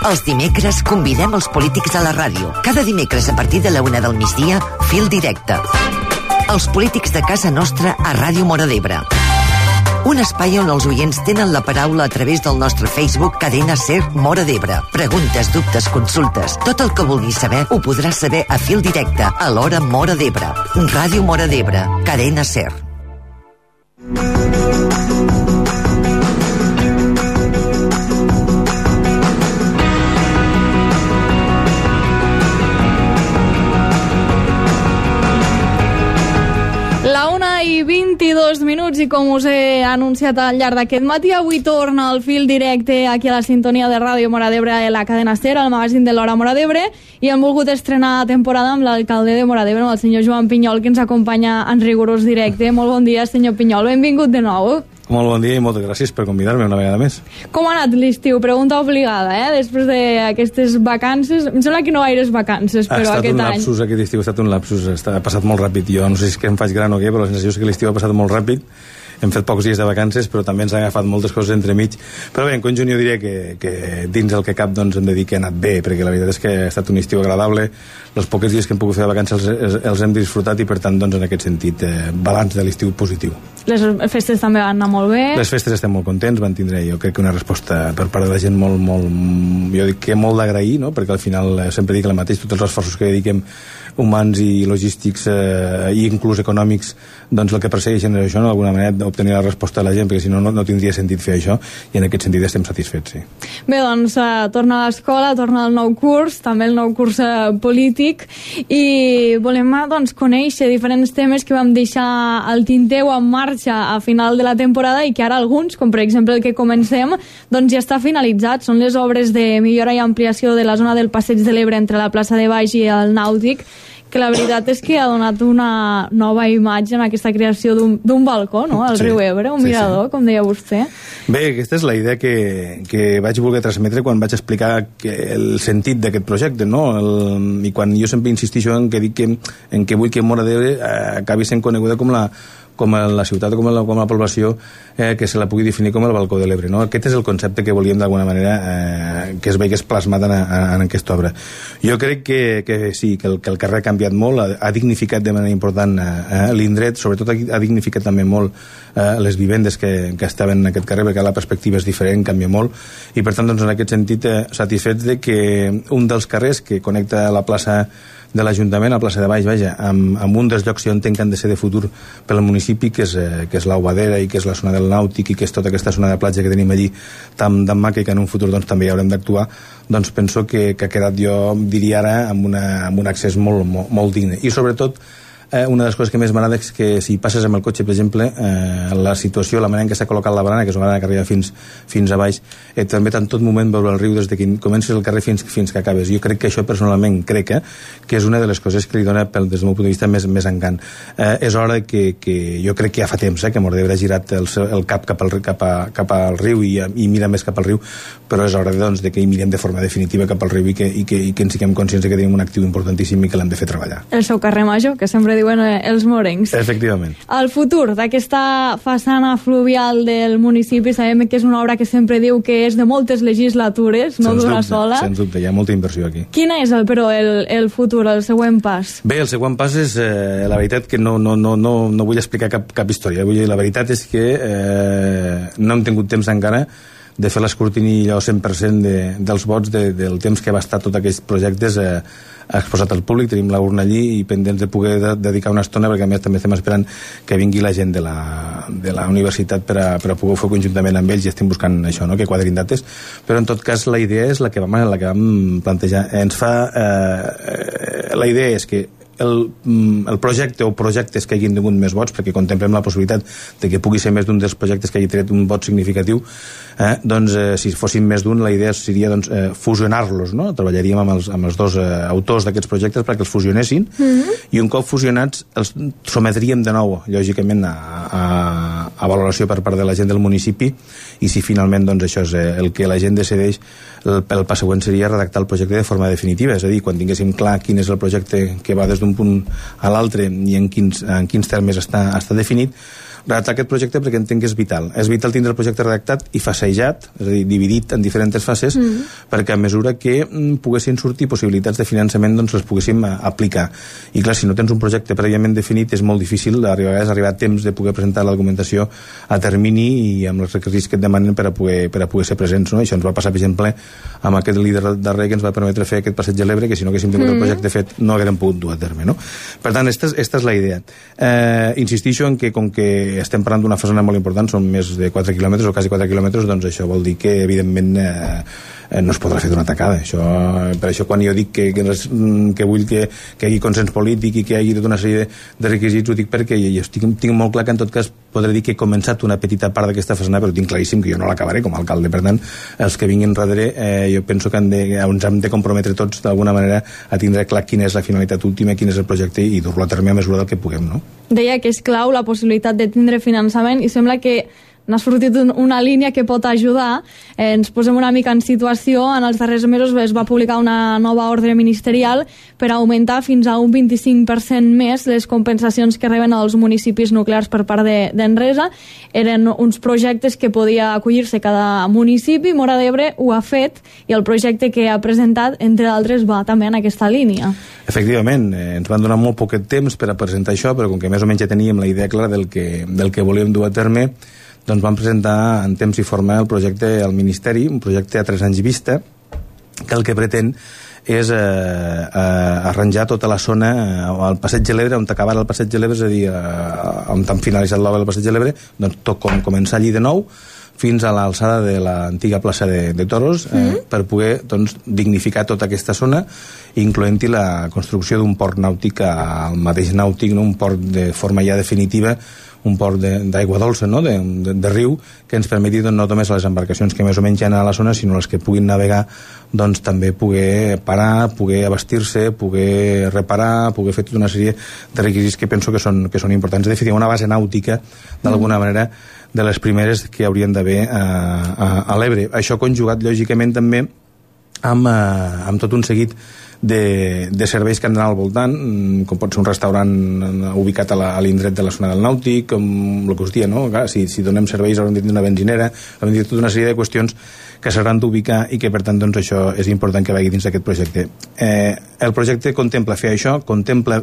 Els dimecres convidem els polítics a la ràdio. Cada dimecres a partir de la 1 del migdia, Fil Directe. Els polítics de casa nostra a Ràdio Móra d'Ebre. Un espai on els oients tenen la paraula a través del nostre Facebook Cadena Ser Móra d'Ebre. Preguntes, dubtes, consultes. Tot el que vulguis saber ho podràs saber a Fil Directe, a l'hora Móra d'Ebre. Ràdio Móra d'Ebre, Cadena Ser. La 1:22 minuts i com us he anunciat al llarg d'aquest matí, avui torna el Fil Directe aquí a la sintonia de Ràdio Móra d'Ebre a la cadena Ser, al magazín de l'Hora Móra d'Ebre, i hem volgut estrenar temporada amb l'alcalde de Móra d'Ebre, amb el senyor Joan Pinyol, que ens acompanya en rigorós directe. Molt bon dia, senyor Pinyol, benvingut de nou. Molt bon dia i moltes gràcies per convidar-me una vegada més. Com ha anat l'estiu? Pregunta obligada, després d'aquestes vacances. Em sembla que no gaires vacances, però aquest any... Ha estat un lapsus, aquest estiu ha estat un lapsus, ha passat molt ràpid. Jo no sé si és que em faig gran o què, però la sensació és que l'estiu ha passat molt ràpid. Hem fet pocs dies de vacances, però també ens han agafat moltes coses entremig. Però bé, en conjunt jo diria que dins el que cap doncs, hem de dir que ha anat bé, perquè la veritat és que ha estat un estiu agradable. Els pocs dies que hem pogut fer de vacances els hem disfrutat i, per tant, doncs, en aquest sentit, balanç de l'estiu positiu. Les festes també van anar molt bé. Les festes estem molt contents, van tindre, jo crec que una resposta per part de la gent molt, jo dic que molt d'agrair, no? Perquè al final sempre dic el mateix, tots els esforços que dediquem humans i logístics i inclús econòmics, doncs el que persegueixen és això, no? D'alguna manera obtenir la resposta de la gent, perquè si no, no tindria sentit fer això, i en aquest sentit estem satisfets, sí. Bé, doncs torna a l'escola, torna el nou curs, també el nou curs polític, i volem doncs conèixer diferents temes que vam deixar al tinteu en marxa a final de la temporada i que ara alguns, com per exemple el que comencem, doncs ja està finalitzat. Són les obres de millora i ampliació de la zona del Passeig de l'Ebre entre la plaça de Baix i el Nàutic, que la veritat és que ha donat una nova imatge en aquesta creació d'un balcó, no?, al riu Ebre, un mirador, com deia vostè. Bé, aquesta és la idea que vaig voler transmetre quan vaig explicar el sentit d'aquest projecte, no? I quan jo sempre insistixo en que dic en que vull que Móra d'Ebre acabi sent coneguda com la ciutat o com la població que se la pugui definir com el balcó de l'Ebre, no? Aquest és el concepte que volíem d'alguna manera que es veigués plasmat en aquesta obra. Jo crec que sí, que el carrer ha canviat molt, ha dignificat de manera important l'indret, sobretot ha dignificat també molt les vivendes que estaven en aquest carrer, perquè la perspectiva és diferent, canvia molt, i per tant, doncs, en aquest sentit, satisfets de que un dels carrers que connecta la plaça de l'Ajuntament, a plaça de Baix, amb un dels llocs que jo entenc que han de ser de futur pel municipi, que és l'Aubadera i que és la zona del Nàutic i que és tota aquesta zona de platja que tenim allí tan maca i que en un futur doncs, també hi haurem d'actuar, doncs penso que ha quedat, jo diria ara, amb un accés molt digne. I sobretot, una de les coses que més m'agrada és que si passes amb el cotxe, per exemple, la situació, la manera en què s'ha col·locat la barana, que és una barana que arriba fins a baix, també en tot moment veure el riu des de que comences el carrer fins que acabes. Jo crec que això personalment crec que és una de les coses que li dona, des del meu punt de vista, més encant. És hora que jo crec que ja fa temps que Móra d'Ebre ha girat el cap cap al riu i mira més cap al riu, però és hora doncs, que hi mirem de forma definitiva cap al riu i que en siguem conscients que tenim un actiu importantíssim i que l'hem de fer treballar. El seu carrer Major, que sempre diuen els morencs. Efectivament. El futur d'aquesta façana fluvial del municipi, sabem que és una obra que sempre diu que és de moltes legislatures, no d'una sola. Sens dubte, hi ha molta inversió aquí. Quin és, però, el futur, el següent pas? Bé, el següent pas és, la veritat que no vull explicar cap història. La veritat és que no hem tingut temps encara de fer l'escrutini allò 100% dels vots del temps que va estar tots aquests projectes exposat al públic. Tenim la urna allí i pendents de poder dedicar una estona, perquè a més també estem esperant que vingui la gent de la universitat per a poder fer conjuntament amb ells i estem buscant això, no? Que quadrin dates, però en tot cas la idea és la que vam plantejar. La idea és que el projecte o projectes que hagin tingut més vots, perquè contemplem la possibilitat de que pugui ser més d'un dels projectes que hagi tret un vot significatiu, doncs si fossin més d'un, la idea seria doncs, fusionar-los, no? Treballaríem amb els dos autors d'aquests projectes perquè els fusionessin, i un cop fusionats els sometríem de nou, lògicament, a valoració per part de la gent del municipi, i si finalment doncs, això és el que la gent decideix, el pas següent seria redactar el projecte de forma definitiva, és a dir, quan tinguéssim clar quin és el projecte que va des d'un punt a l'altre i en quins termes està definit, redactar aquest projecte perquè entenc que és vital. És vital tindre el projecte redactat i facejat, és a dir, dividit en diferents fases, perquè a mesura que poguessin sortir possibilitats de finançament, doncs les poguéssim aplicar. I clar, si no tens un projecte prèviament definit, és molt difícil arribar a temps de poder presentar la documentació a termini i amb els requisits que et demanen per a poder ser presents, no? Això ens va passar, per exemple, amb aquest líder darrer que ens va permetre fer aquest passeig a l'Ebre, que si no haguéssim tingut el projecte fet no haguérem pogut dur a terme, no? Per tant, esta és la idea. Insistixo en que, com que estem parlant d'una façana molt important, són més de 4 quilòmetres o quasi 4 quilòmetres, doncs això vol dir que, evidentment, no es podrà fer d'una tacada. Per això, quan jo dic que vull que hi hagi consens polític i que hi hagi tota una sèrie de requisits, ho dic perquè jo tinc molt clar que, en tot cas, podré dir que he començat una petita part d'aquesta façana, però tinc claríssim que jo no l'acabaré com a alcalde. Per tant, els que vinguin darrere, jo penso que ens hem de comprometre tots, d'alguna manera, a tindre clar quina és la finalitat última, quin és el projecte i dur-lo a terme a mesura del que puguem, no? Deia que és clau la possibilitat de tindre finançament i sembla que n'ha sortit una línia que pot ajudar. Ens posem una mica en situació. En els darrers mesos es va publicar una nova ordre ministerial per augmentar fins a un 25% més les compensacions que reben els municipis nuclears per part d'Enresa. Eren uns projectes que podia acollir-se cada municipi. Móra d'Ebre ho ha fet i el projecte que ha presentat, entre d'altres, va també en aquesta línia. Efectivament, ens van donar molt poquet temps per a presentar això, però com que més o menys ja teníem la idea clara del que volíem dur a terme, doncs vam presentar en temps i forma el projecte al Ministeri, un projecte a 3 anys vista, que el que pretén és arranjar tota la zona al Passeig de l'Ebre, on acabara el Passeig de l'Ebre, és a dir, on han finalitzat l'obra del Passeig de l'Ebre, doncs tot com començar allí de nou, fins a l'alçada de l'antiga plaça de Toros, per poder dignificar tota aquesta zona, incloent-hi la construcció d'un port nàutic al mateix nàutic, un port de forma ja definitiva, un port d'aigua dolça, no? de riu, que ens permeti no només a les embarcacions que més o menys hi ha a la zona, sinó les que puguin navegar, doncs també poder parar, poder abastir-se, poder reparar, poder fer tota una sèrie de requisits que penso que són importants. De fet, hi ha una base nàutica, d'alguna manera, de les primeres que haurien d'haver a l'Ebre. Això conjugat, lògicament, també amb tot un seguit de serveis que han d'anar al voltant, com pot ser un restaurant ubicat a l'indret de la zona del Nàutic, com el que us dia, no? Clar, si donem serveis haurem de tenir una benzinera, haurem de tenir tota una sèrie de qüestions que s'hauran d'ubicar i que, per tant, doncs, això és important que vagi dins d'aquest projecte. El projecte contempla fer això, contempla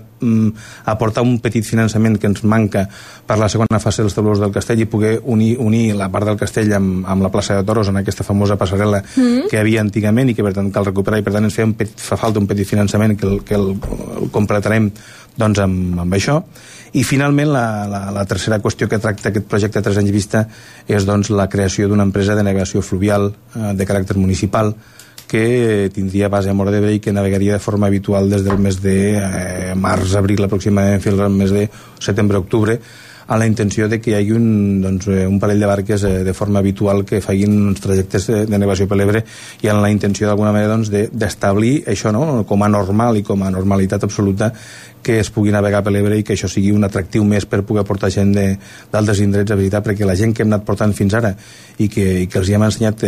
aportar un petit finançament que ens manca per la segona fase dels taulons del Castell i poder unir la part del Castell amb la plaça de Toros, en aquesta famosa passarel·la que hi havia antigament i que, per tant, cal recuperar, i per tant ens fa falta un petit finançament que el completarem doncs amb això. I finalment la tercera qüestió que tracta aquest projecte a 3 anys vista és doncs la creació d'una empresa de navegació fluvial de caràcter municipal que tindria base a Móra d'Ebre i que navegaria de forma habitual des del mes de març-abril aproximadament fins al mes de setembre-octubre, a la intenció de que hi hagi un parell de barques de forma habitual que facin uns trajectes de navegació per l'Ebre i amb la intenció d'alguna manera d'establir això, no? Com a normal i com a normalitat absoluta que es pugui navegar per l'Ebre i que això sigui un atractiu més per poder portar gent d'altres indrets a visitar, perquè la gent que hem anat portant fins ara i que els hi hem ensenyat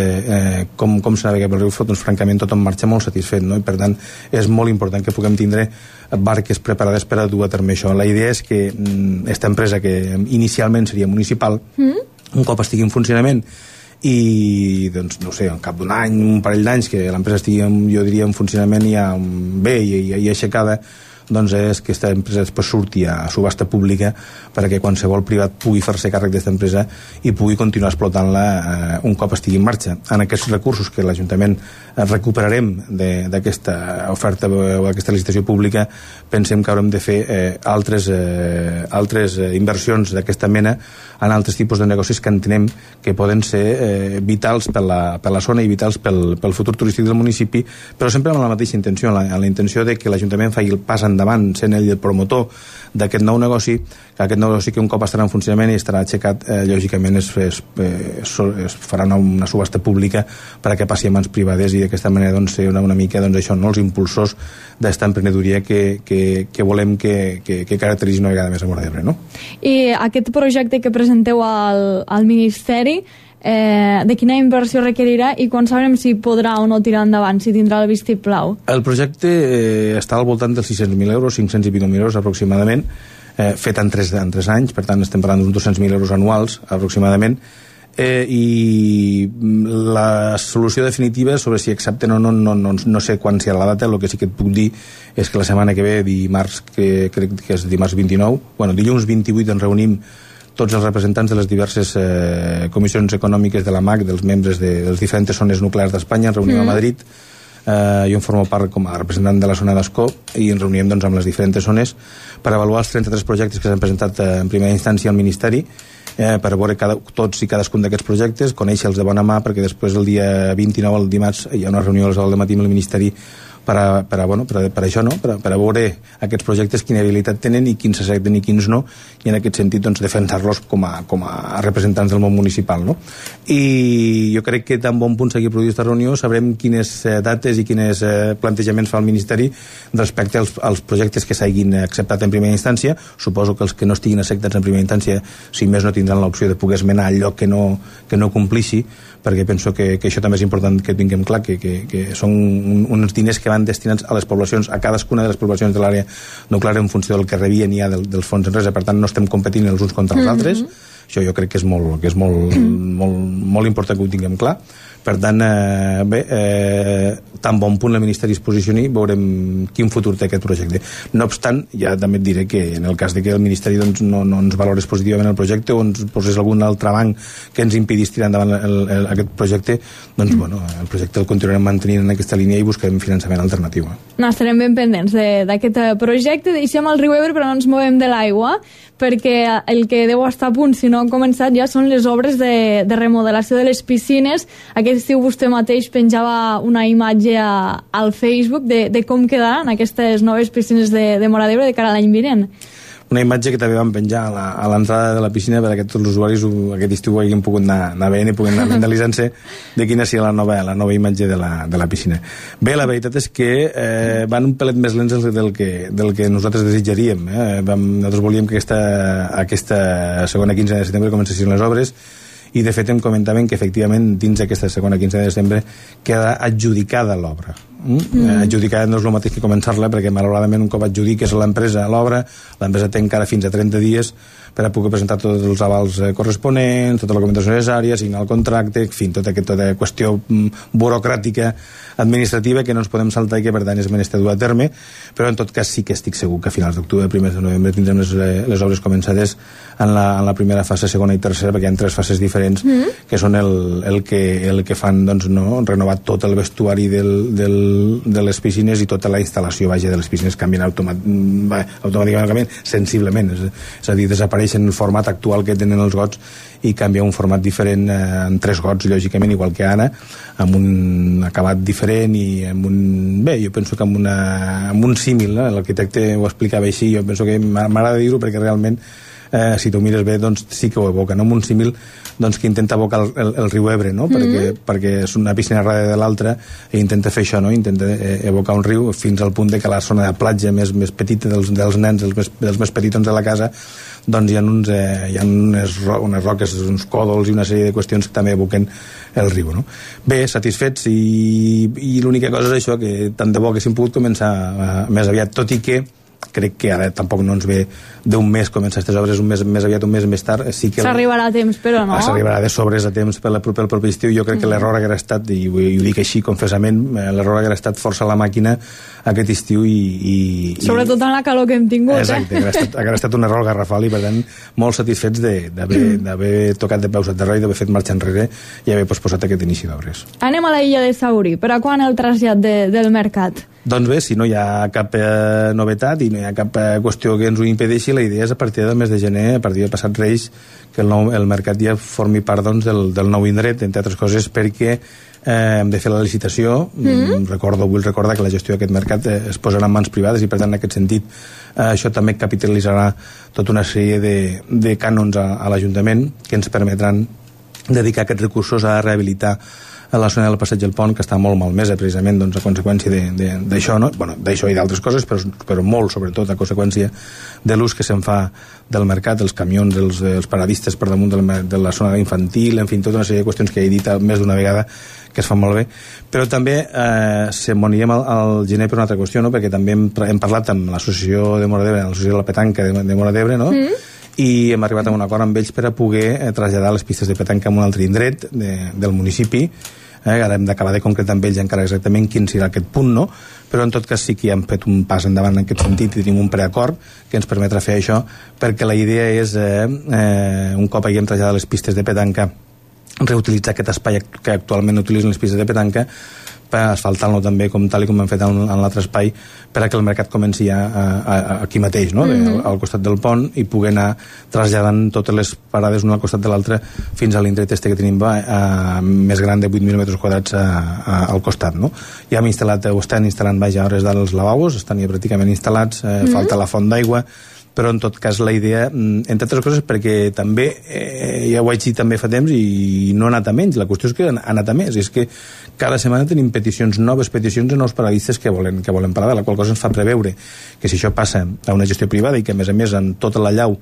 com s'ha navegat pel riu, doncs francament tothom marxa molt satisfet, no? I per tant és molt important que puguem tindre barques preparades per a dur a terme això. La idea és que aquesta empresa, que inicialment seria municipal, un cop estigui en funcionament i, doncs, no sé, al cap d'un any, un parell d'anys que l'empresa estigui, jo diria, en funcionament ja bé i aixecada, doncs és que aquesta empresa després surti a subhasta pública perquè qualsevol privat pugui fer-se càrrec d'aquesta empresa i pugui continuar explotant-la un cop estigui en marxa. En aquests recursos que l'Ajuntament recuperarem d'aquesta oferta o d'aquesta licitació pública, pensem que haurem de fer altres inversions d'aquesta mena en altres tipus de negocis que entenem que poden ser vitals per la zona i vitals pel futur turístic del municipi, però sempre amb la mateixa intenció, amb la intenció de que l'Ajuntament faci el pas endavant, sent ell el promotor d'aquest nou negoci, que aquest nou negoci que un cop estarà en funcionament i estarà aixecat, lògicament es farà una subhasta pública per a que passi a mans privades i d'aquesta manera doncs, ser una mica això, no? Els impulsors d'esta emprenedoria que volem que caracteritzi una vegada més a Móra d'Ebre, no? I aquest projecte que presenteu al Ministeri, de quina inversió requerirà i quan sabrem si podrà o no tirar endavant, si tindrà el vistiplau? El projecte està al voltant dels 600.000 euros, 520.000 euros aproximadament. fet en 3 anys, per tant estem parlant d'uns 200.000 euros anuals aproximadament, i la solució definitiva sobre si accepten o no sé quan serà la data. El que sí que et puc dir és que la setmana que ve, dimarts, que crec que és dimarts 29, dilluns 28 ens reunim tots els representants de les diverses comissions econòmiques de la MAC, dels membres de les diferents zones nuclears d'Espanya. Ens reunim a Madrid, jo en formo part com a representant de la zona d'Escó, i ens reunim doncs, amb les diferents zones per avaluar els 33 projectes que s'han presentat en primera instància al Ministeri, per veure tots i cadascun d'aquests projectes, conèixer-los de bona mà, perquè després el dia 29, el dimarts, hi ha una reunió a les 9 del matí amb el Ministeri per això, no? Per a veure aquests projectes quina habilitat tenen i quins s'accepten i quins no, i en aquest sentit doncs, defensar-los com a representants del món municipal, no? I jo crec que tan bon punt s'hagi produït aquesta reunió sabrem quines dates i quins plantejaments fa el Ministeri respecte als projectes que s'hagin acceptat en primera instància. Suposo que els que no estiguin acceptats en primera instància, si més no, tindran l'opció de poder esmenar allò que no complixi, perquè penso que això també és important que tinguem clar, que són uns diners que van destinats a les poblacions, a cadascuna de les poblacions de l'àrea nuclear en funció del que rebien ja dels fons en res, per tant no estem competint els uns contra els altres. Això jo crec que és molt important que ho tinguem clar. Per tant, tan bon punt el Ministeri es posicioni, veurem quin futur té aquest projecte. No obstant, ja també et diré que en el cas de que el Ministeri doncs, no ens valorés positivament el projecte o ens posés algun altre banc que ens impedís tirar endavant aquest projecte, doncs el projecte el continuarem mantenint en aquesta línia i buscarem finançament alternatiu. No, estarem ben pendents d'aquest projecte. Deixem el riu Ebre però no ens movem de l'aigua, perquè el que deu estar a punt, si no han començat ja, són les obres de remodelació de les piscines. Aquest estiu vostè mateix penjava una imatge al Facebook de com quedaran aquestes noves piscines de Móra d'Ebre de cara a l'any vinent. Una imatge que també vam penjar a l'entrada de la piscina perquè tots els usuaris aquest estiu hagin pogut anar veient i puguin anar mentalitzant-se de quina sigui la nova imatge de la piscina. Bé, la veritat és que van un pelet més lents del que nosaltres desitjaríem. Nosaltres volíem que aquesta segona quinzena de setembre comencessin les obres, i de fet em comentaven que efectivament dins d'aquesta segona quinzena de desembre queda adjudicada l'obra. Adjudicada no és el mateix que començar-la, perquè malauradament un cop adjudiques a l'empresa l'obra, l'empresa té encara fins a 30 dies per a poder presentar tots els avals corresponents, tota la documentació necessària, signar el contracte, en fi, tota aquesta qüestió burocràtica administrativa que no ens podem saltar i que per tant és menester dur a terme, però en tot cas sí que estic segur que a finals d'octubre, primers de novembre tindrem les obres començades en la primera fase, segona i tercera, perquè hi ha 3 fases diferents que són el que fan doncs, renovar tot el vestuari de les piscines i tota la instal·lació de les piscines canvien automàticament, sensiblement, és a dir, desapareixen el format actual que tenen els gots i canvia un format diferent en 3 gots, lògicament, igual que ara, amb un acabat diferent i amb un... Bé, jo penso que amb un símil, l'arquitecte ho explicava així, jo penso que m'agrada dir-ho perquè realment si t'ho mires bé, doncs sí que ho evoca, no? Amb un símil doncs, que intenta evocar el riu Ebre, no? Perquè és una piscina darrere de l'altra i intenta fer això, no? Intenta evocar un riu fins al punt de que la zona de platja més petita dels nens, dels més petitons de la casa, doncs hi ha unes roques, uns còdols i una sèrie de qüestions que també evoquen el riu, no? Bé, satisfets i l'única cosa és això, que tant de bo que s'hem pogut començar més aviat, tot i que crec que ara tampoc no ens ve d'un mes començar aquestes obres, un mes més aviat, un mes més tard. Sí que s'arribarà a temps, però no? S'arribarà de sobres a temps pel proper estiu. Jo crec que l'error haguera estat, i ho dic així confessament, l'error haguera estat forçar la màquina aquest estiu i sobretot en la calor que hem tingut. Exacte, haguera estat un error garrafal i per tant molt satisfets d'haver tocat de peus a terra i d'haver fet marxa enrere i haver posposat aquest inici d'obres. Anem a la illa de Saurí. Per a quan el trasllat del mercat? Doncs bé, si no hi ha cap novetat i no hi ha cap qüestió que ens ho impedeixi, la idea és a partir del mes de gener, a partir de passat Reis, que el mercat ja formi part doncs, del nou indret, entre altres coses perquè hem de fer la licitació. Vull recordar que la gestió d'aquest mercat es posarà en mans privades i per tant en aquest sentit això també capitalitzarà tota una sèrie de cànons a l'Ajuntament que ens permetran dedicar aquests recursos a rehabilitar a la zona del Passeig del Pont, que està molt malmesa precisament doncs, a conseqüència d'això, no? Bueno, d'això i d'altres coses, però molt sobretot a conseqüència de l'ús que se'n fa del mercat, dels camions, els paradistes per damunt de la zona infantil, en fi, tota una sèrie de qüestions que he dit més d'una vegada que es fan molt bé, però també se'n anirem al gener per una altra qüestió, no? Perquè també hem parlat amb l'associació de Móra d'Ebre, l'associació de la petanca de Móra d'Ebre, no? I hem arribat a un acord amb ells per a poder traslladar les pistes de petanca a un altre indret del municipi. Ara hem d'acabar de concretar amb ells encara exactament quin serà aquest punt, no? Però en tot cas sí que hem fet un pas endavant en aquest sentit i tenim un preacord que ens permetrà fer això, perquè la idea és un cop haguem traslladat les pistes de petanca, reutilitzar aquest espai que actualment utilitzen les pistes de petanca per asfaltar-lo també tal com hem fet en l'altre espai, per a que el mercat comenci aquí mateix, no? Al costat del pont, i poder anar traslladant totes les parades una al costat de l'altra fins a l'indret que tenim més gran de 8.000 metres quadrats al costat, no? Ja hem instal·lat, o estan instal·lant a hores d'ara els lavabos, estan ja pràcticament instal·lats, falta la font d'aigua, però en tot cas la idea, entre altres coses, perquè també, ja ho vaig dir també fa temps, i no ha anat a menys, la qüestió és que ha anat a més, és que cada setmana tenim noves peticions de nous paradistes que volen parar, la qual cosa ens fa preveure que si això passa a una gestió privada i que a més amb tota la llau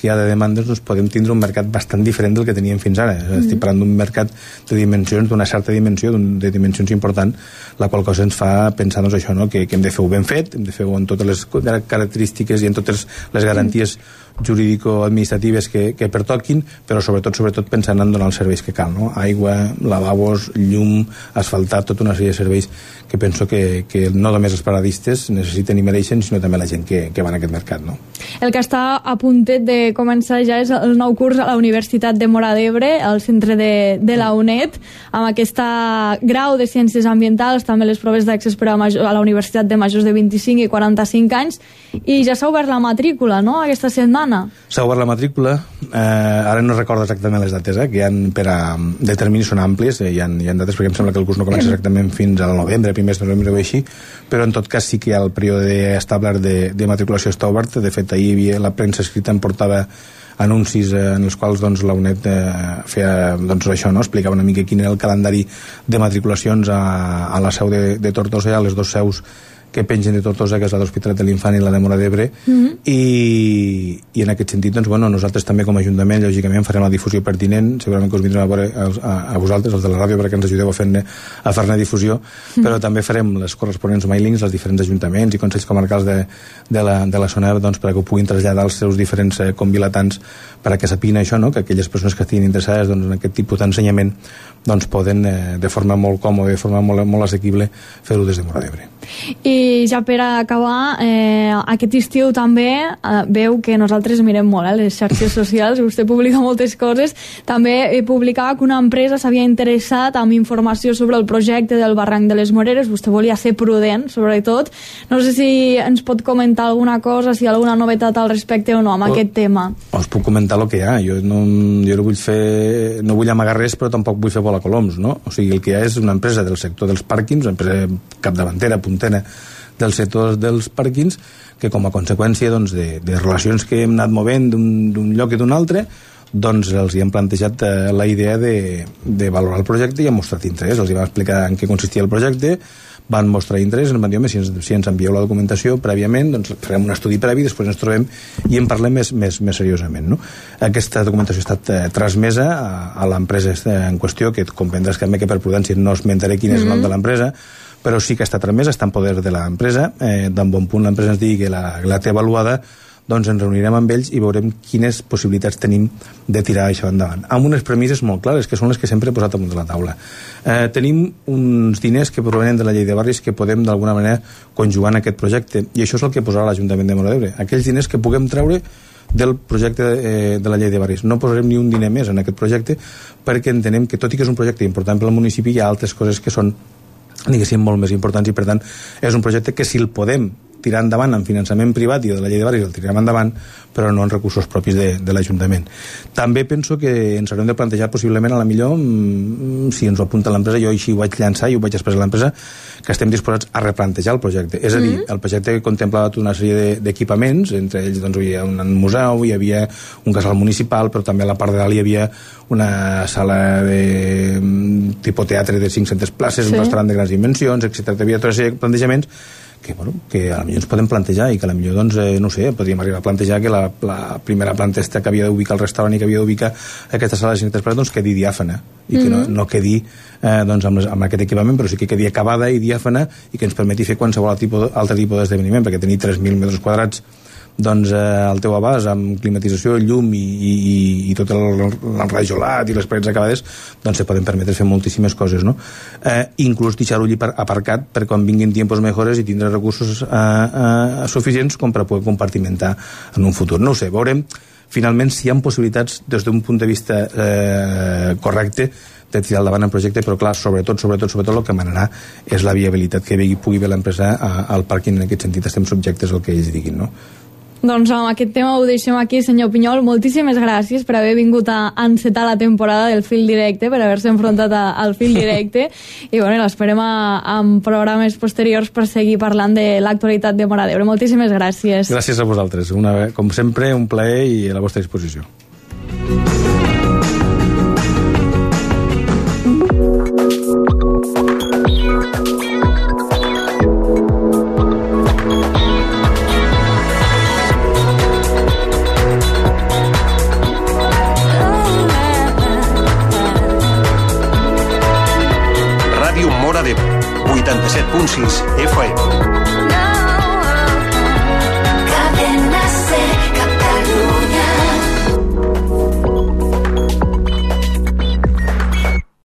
que hi ha de demandes, doncs podem tindre un mercat bastant diferent del que teníem fins ara. Estic parlant d'un mercat de dimensions, d'una certa dimensió, de dimensions important, la qual cosa ens fa pensar doncs, això, no? que hem de fer-ho ben fet, hem de fer-ho amb totes les característiques i amb totes les garanties jurídico-administratives que pertoquin, però sobretot pensant en donar els serveis que cal, no? Aigua, lavabos, llum, asfaltar, tota una sèrie de serveis que penso que no només els paradistes necessiten i mereixen, sinó també la gent que va en aquest mercat, no? El que està a puntet de començar ja és el nou curs a la Universitat de Móra d'Ebre, al centre de la UNED, amb aquesta grau de Ciències Ambientals, també les proves d'accés per a la Universitat de majors de 25 i 45 anys, i ja s'ha obert la matrícula, no?, aquesta setmana. S'ha obert la matrícula, ara no recordo exactament les dates, que hi ha de terminis són àmplies, hi ha dates perquè em sembla que el curs no comença exactament fins al novembre, primers de novembre o així, però en tot cas sí que el període establert de matriculació està obert. De fet, ahir la premsa escrita em portava anuncis en els quals doncs, la UNED feia doncs, això, no? Explicava una mica quin era el calendari de matriculacions a la seu de Tortosa, a les dues seus que pengen de Tortosa, que és la d'Hospitalet de l'Infant i la de Móra d'Ebre, i en aquest sentit, doncs, bueno, nosaltres també com a Ajuntament, lògicament, farem la difusió pertinent, segurament que us vindrem a veure a vosaltres, els de la ràdio, perquè ens ajudeu a fer-ne difusió, però també farem les corresponents mailings als diferents ajuntaments i consells comarcals de la zona, doncs, perquè ho puguin traslladar als seus diferents convilatants, perquè sapiguin això, no? Que aquelles persones que estiguin interessades doncs, en aquest tipus d'ensenyament doncs, poden de forma molt còmoda, de forma molt assequible, fer-ho des de Móra d'Ebre. I ja per acabar, aquest estiu també veu que nosaltres mirem molt les xarxes socials, vostè publica moltes coses, també publicava que una empresa s'havia interessat amb informació sobre el projecte del barranc de les Moreres, vostè volia ser prudent, sobretot. No sé si ens pot comentar alguna cosa, si hi ha alguna novetat al respecte o no amb aquest tema. Us puc comentar el que hi ha, jo no vull amagar res, però tampoc vull fer volar coloms, no? O sigui, el que hi ha és una empresa del sector dels pàrquings, una empresa capdavantera, puntera del sector dels pàrquings, que com a conseqüència doncs, de relacions que hem anat movent d'un lloc i d'un altre, doncs els hi hem plantejat la idea de valorar el projecte i han mostrat interès. Els hi vam explicar en què consistia el projecte, van mostrar interès, ens van dir, si ens envieu la documentació prèviament, doncs farem un estudi previ, després ens trobem i en parlem més seriosament, no? Aquesta documentació ha estat transmesa a l'empresa en qüestió, que comprendràs que per prudència no esmentaré quin és el nom de l'empresa, però sí que està transmesa, està en poder de l'empresa, d'en bon punt l'empresa ens digui que la té avaluada, doncs ens reunirem amb ells i veurem quines possibilitats tenim de tirar això endavant. Amb unes premisses molt clares, que són les que sempre he posat damunt de la taula. Tenim uns diners que provenen de la llei de barris que podem d'alguna manera conjugar en aquest projecte, i això és el que posarà l'Ajuntament de Móra d'Ebre. Aquells diners que puguem treure del projecte de la llei de barris. No posarem ni un diner més en aquest projecte, perquè entenem que, tot i que és un projecte important per al municipi, hi ha altres coses que són, diguéssim, molt més importants, i per tant és un projecte que si el podem tirar endavant en finançament privat i de la llei de barris el tirarem endavant, però no en recursos propis de l'Ajuntament. També penso que ens haurem de plantejar possiblement, a la millor, si ens ho apunta l'empresa, jo així ho vaig llançar i ho vaig expressar a l'empresa, que estem disposats a replantejar el projecte. És a dir, el projecte contemplava tota una sèrie d'equipaments, entre ells doncs, hi havia un museu, hi havia un casal municipal, però també a la part de dalt hi havia una sala de tipus teatre de 500 places, un restaurant de grans dimensions, etc. Hi havia tota una sèrie de plantejaments que a potser ens podem plantejar i que a potser, doncs, no sé, podríem arribar a plantejar que la primera planta que havia d'ubicar el restaurant i que havia d'ubicar aquesta sala de 500 places, doncs quedi diàfana i que no quedi doncs, amb aquest equipament, però sí que quedi acabada i diàfana i que ens permeti fer qualsevol altre tipus d'esdeveniment, perquè tenir 3.000 metres quadrats doncs al teu abast, amb climatització, llum i tot l'enrajolat i les parets acabades, doncs se poden permetre fer moltíssimes coses, no? Inclús deixar-ho allí aparcat per quan vinguin tiempos mejores i tindre recursos suficients com per poder compartimentar en un futur. No ho sé, veurem finalment si hi ha possibilitats des d'un punt de vista correcte de tirar endavant el projecte, però clar, sobretot el que manarà és la viabilitat que pugui haver l'empresa al pàrquing. En aquest sentit estem subjectes al que ells diguin, no? Doncs amb aquest tema ho deixem aquí, senyor Pinyol. Moltíssimes gràcies per haver vingut a encetar la temporada del Fil Directe, per haver-se enfrontat al Fil Directe, i bueno, l'esperem en programes posteriors per seguir parlant de l'actualitat de Móra d'Ebre. Moltíssimes gràcies. Gràcies a vosaltres. Com sempre, un plaer i a la vostra disposició. Ràdio Móra d'Ebre, 87.6 FM.